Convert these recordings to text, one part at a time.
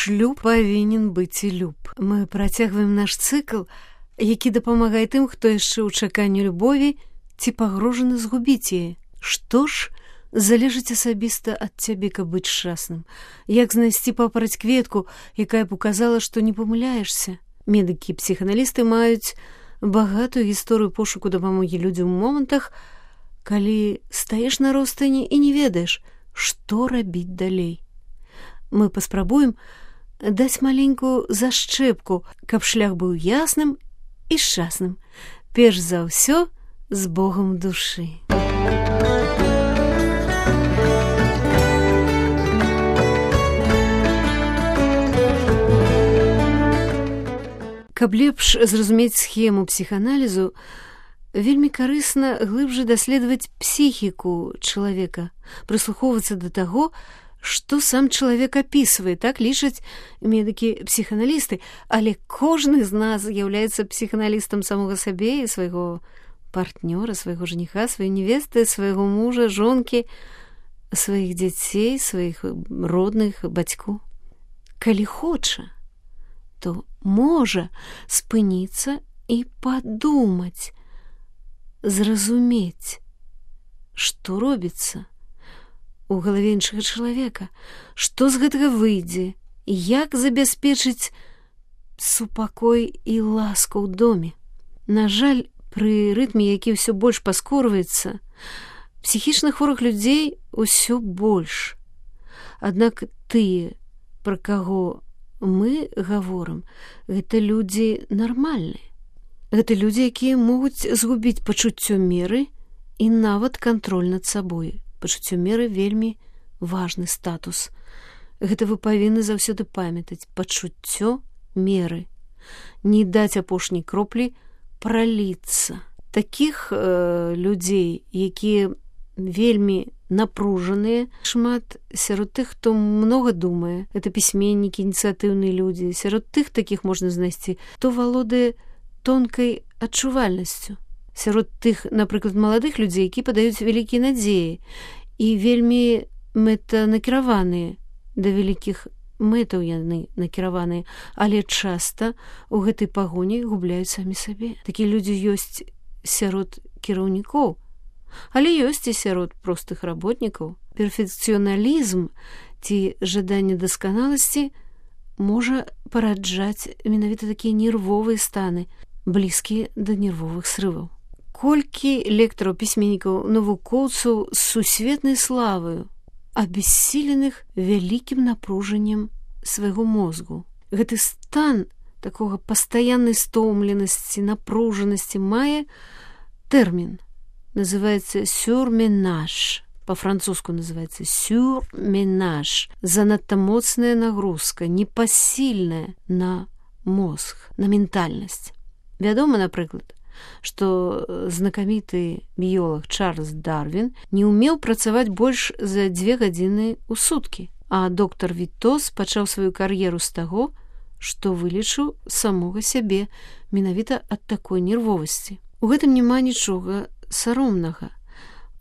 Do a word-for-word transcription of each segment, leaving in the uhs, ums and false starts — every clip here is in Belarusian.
шлюб павінен быць і люб. Мы працягваем наш цыкл, які дапамагае тым, хто яшчэ ў чаканні любові ці пагрожаны згубіць яе. Што ж залежыць асабіста ад цябе, каб быць шчасным? Як знайсці папараць кветку, якая б указала, што не памыляешся? Медыкі і псіханалісты маюць багатую гісторыю пошуку дапамогі людзям у момантах, калі стаеш на ростані і не ведаеш, што рабіць далей. Мы паспрабуем даць маленькую зашчэпку, каб шлях быў ясным і шчасным. Перш за ўсё, з Богам душы. Каб лепш зразумець схему псіханалізу, вельмі карысна глыбжэй даследаваць псіхіку чалавека, прыслухоўвацца да таго, што сам чалавек апісвае, так лічаць медыкі-псіханалісты, але кожны з нас з'яўляецца псіханалістам самога сабе і свайго партнёра, свайго жаніха, сваёй невесты, свайго мужа, жонкі, сваіх дзяцей, сваіх родных, бацьку. Калі хоча, то можа спыніцца і падумаць, зразумець, што робіцца у галаве іншага чалавека, што з гэтага выйдзе, як забяспечыць супакой і ласку ў доме. На жаль, пры рытме, які ўсё больш паскорваецца, псіхічна хворых людзей усё больш. Аднак тыя, пра каго мы гаворым, гэта людзі нармальныя. Гэта людзі, якія могуць згубіць пачуццё меры і нават кантроль над сабой. Пачуццё меры вельмі важны статус. Гэта вы павінны заўсёды памятаць. Пачуццё меры. Не даць апошняй кроплі праліцца. Такіх э, людзей, якія вельмі напружаныя, шмат сярод тых, хто многа думае. Это пісьменнікі, ініцыятыўныя людзі. Сярод тых такіх можна знайсці, хто валодае тонкай адчувальнасцю. Сярод тых, напрыклад, маладых людзей, які падаюць вялікія надзеі і вельмі мэтанакіраваныя, да вялікіх мэтаў яны накіраваныя, але часта ў гэтай пагоні губляюць самі сабе. Такія людзі ёсць сярод кіраўнікоў, але ёсць і сярод простых работнікаў. Перфекцыяналізм ці жаданне дасканаласці можа параджаць менавіта такія нервовыя станы, блізкія да нервовых срываў. Колькі лектораў, пісьменнікаў, навукоўцаў з сусветнай славою, абессіленых вялікім напружаннем свайго мозгу. Гэты стан такога пастаяннай стомленасці, напружанасці мае тэрмін. Называецца сюрменаж. Па-французску называецца сюрменаж. Занадта моцная нагрузка, непасільная на мозг, на ментальнасць. Вядома, напрыклад, што знакаміты біёлаг Чарльз Дарвін не ўмеў працаваць больш за дзве гадзіны ў суткі, а доктар Вітос пачаў сваю кар'еру з таго, што вылечыў самога сябе менавіта ад такой нервовасці. У гэтым няма нічога саромнага.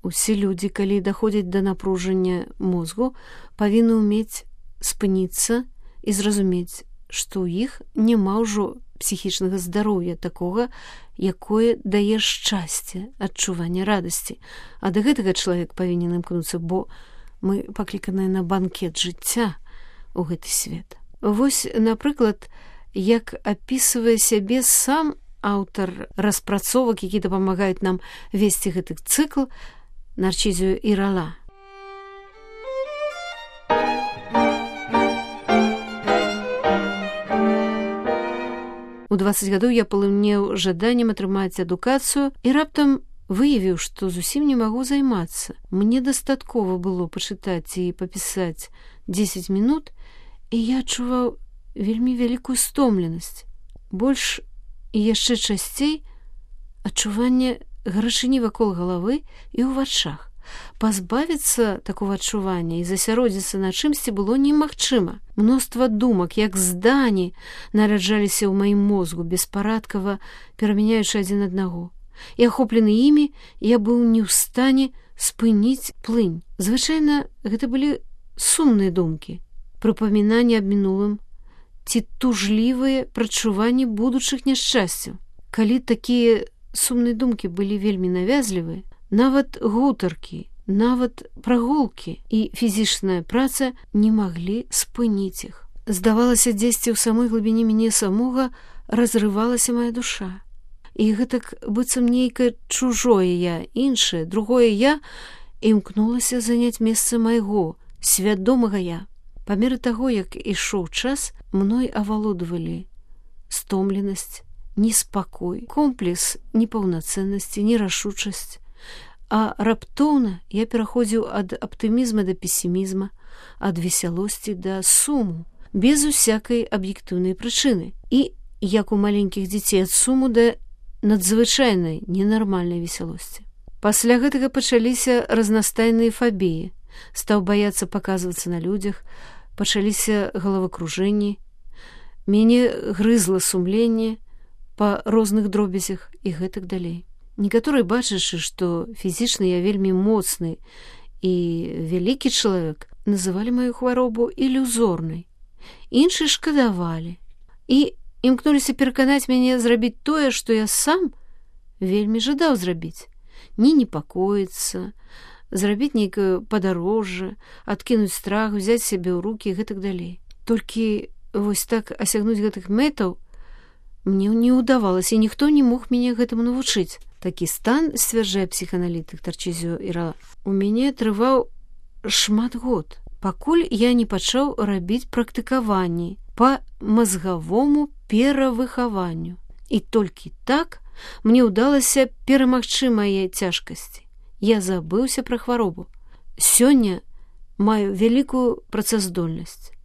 Усе людзі, калі даходзяць да напружання мозгу, павінны ўмець спыніцца і зразумець, што ў іх няма ўжо псіхічнага здароўя такога, якое дае шчасце, адчуванне радасці. А да гэтага чалавек павінен імкнуцца, бо мы пакліканыя на банкет жыцця ў гэты свет. Вось, напрыклад, як апісвае сябе сам аўтар распрацовак, які дапамагаюць нам весці гэты цыкл, Нарцізіо Ірала. У дваццаць гадоў я палымнеў жаданнем атрымаць адукацыю і раптам выявіў, што зусім не магу займацца. Мне дастаткова было пачытаць і папісаць дзесяць мінут, і я адчуваў вельмі вялікую стомленасць. Больш і яшчэ часцей адчуванне гарачыні вакол галавы і ў вачах. Пазбавіцца такого адчування і засяродзіцца на чымсьці было немагчыма. Мноства думак, як здані, нараджаліся ў маім мозгу, беспарадкава перамяняючы адзін аднаго. І ахоплены імі, я быў не ў стане спыніць плынь. Звычайна гэта былі сумныя думкі, прыпамінанні аб мінулым, ці тужлівыя прадчуванні будучых няшчасцяў. Калі такія сумныя думкі былі вельмі навязлівыя, нават гутаркі, нават прагулкі і фізічная праца не маглі спыніць іх. Здавалася, дзесьці ў самой глыбіні мяне самога разрывалася моя душа. І гэтак быццам нейкае чужое я, іншае, другое я, імкнулася заняць месца майго, свядомага я. Па меры таго, як ішоў час, мной авалодвалі стомленасць, неспакой, комплекс непаўнацэннасці, нерашучасць. А раптоўна я пераходзіў ад аптымізма да песімізма, ад весялосці да суму, без усякай аб'ектыўнай прычыны. І, як у маленькіх дзяцей, ад суму да надзвычайнай ненармальнай весялосці. Пасля гэтага пачаліся разнастайныя фабіі. Стаў баяцца паказвацца на людзях, пачаліся галавакружэнні. Мяне грызла сумленне па розных дробязях і гэтак далей. Некаторыя, бачачы, што фізічна я вельмі моцны і вялікі чалавек, называлі маю хваробу ілюзорнай. Іншыя шкадавалі і імкнуліся пераканаць мяне зрабіць тое, што я сам вельмі жадаў зрабіць. Не непакоіцца, зрабіць нейкае падарожжа, адкінуць страх, взяць сябе ў рукі і гэтак далей. Толькі вось так асягнуць гэтых мэтаў мне не ўдавалася, і ніхто не мог мяне гэтаму навучыць. Такі стан, сцвярджае псіханалітык Тарчызіо Ірала, у мяне трываў шмат год, пакуль я не пачаў рабіць практыкаванні па мазгавому перавыхаванню. І толькі так мне ўдалася перамагчы мае цяжкасці. Я забыўся пра хваробу. Сёння маю вялікую працаздольнасць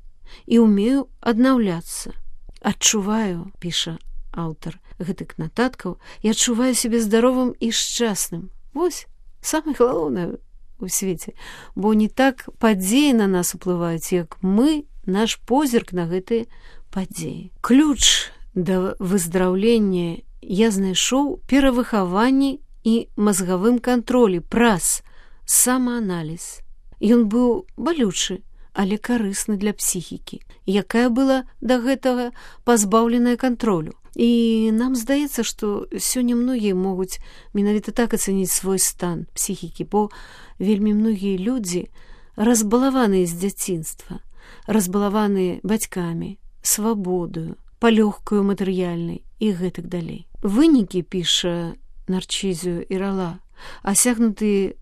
і ўмею аднаўляцца. Адчуваю, піша аўтар гэтых нататкаў, я адчуваю сябе здаровым і шчасным. Вось самае галоўнае у свеце, бо не так падзеі на нас уплываюць, як мы, наш позірк на гэтыя падзеі. Ключ да выздраўлення я знайшоў перавыхаванні і мазгавым кантролі праз самааналіз. Ён быў балючы, але карысны для псіхікі, якая была да гэтага пазбаўленая кантролю. І нам здаецца, што сёння многія могуць менавіта так ацаніць свой стан псіхікі, бо вельмі многія людзі разбалаваныя з дзяцінства, разбалаваныя бацькамі, свабодою, палёгкаю матэрыяльнай і гэтак далей. Вынікі, піша Тарчызіо Ірала, асягнутыя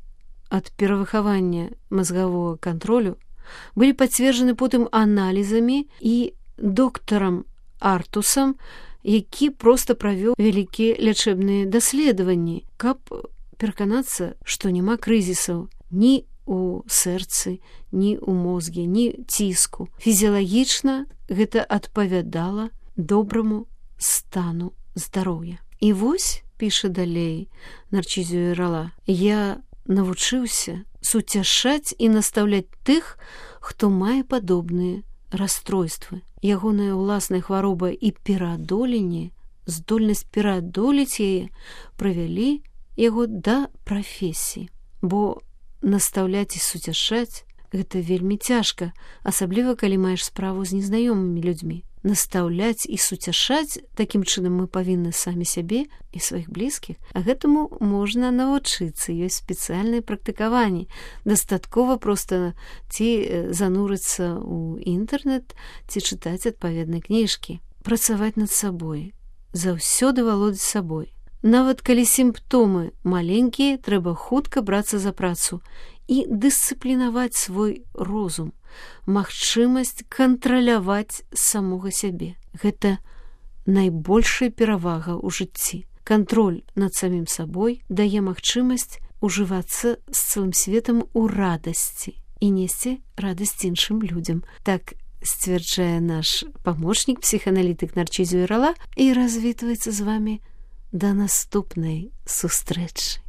ад перавыхавання мазгавога кантролю, былі пацверджаны потым аналізамі і доктарам Артусам, які проста правёў вялікія лячэбныя даследаванні, каб пераканацца, што няма крызісаў ні у сэрцы, ні ў мозге, ні ціску. Фізіялагічна гэта адпавядала добраму стану здароўя. І вось, піша далей Тарчызіо Ірала, я навучыўся суцяшаць і настаўляць тых, хто мае падобныя расстройствы. Ягоная ўласная хвароба і пераадоленне, здольнасць пераадолець яе прывялі яго да прафесіі. Бо настаўляць і суцяшаць гэта вельмі цяжка, асабліва калі маеш справу з незнаёмымі людзьмі. Настаўляць і суцяшаць такім чынам мы павінны самі сябе і сваіх блізкіх, а гэтаму можна навучыцца, ёсць спецыяльныя практыкаванні. Дастаткова проста ці занурыцца ў інтэрнэт, ці чытаць адпаведныя кніжкі, працаваць над сабой, заўсёды валодаць сабой. Нават калі сімптомы маленькія, трэба хутка брацца за працу і дысцыплінаваць свой розум, магчымасць кантраляваць самога сябе. Гэта найбольшая перавага ў жыцці. Кантроль над самім сабой дае магчымасць ужывацца з цэлым светам у радасці і несці радасць іншым людзям. Так сцвярджае наш памочнік, псіханалітык Тарчызіо Ірала, і развітваецца з вамі да наступнай сустрэчы.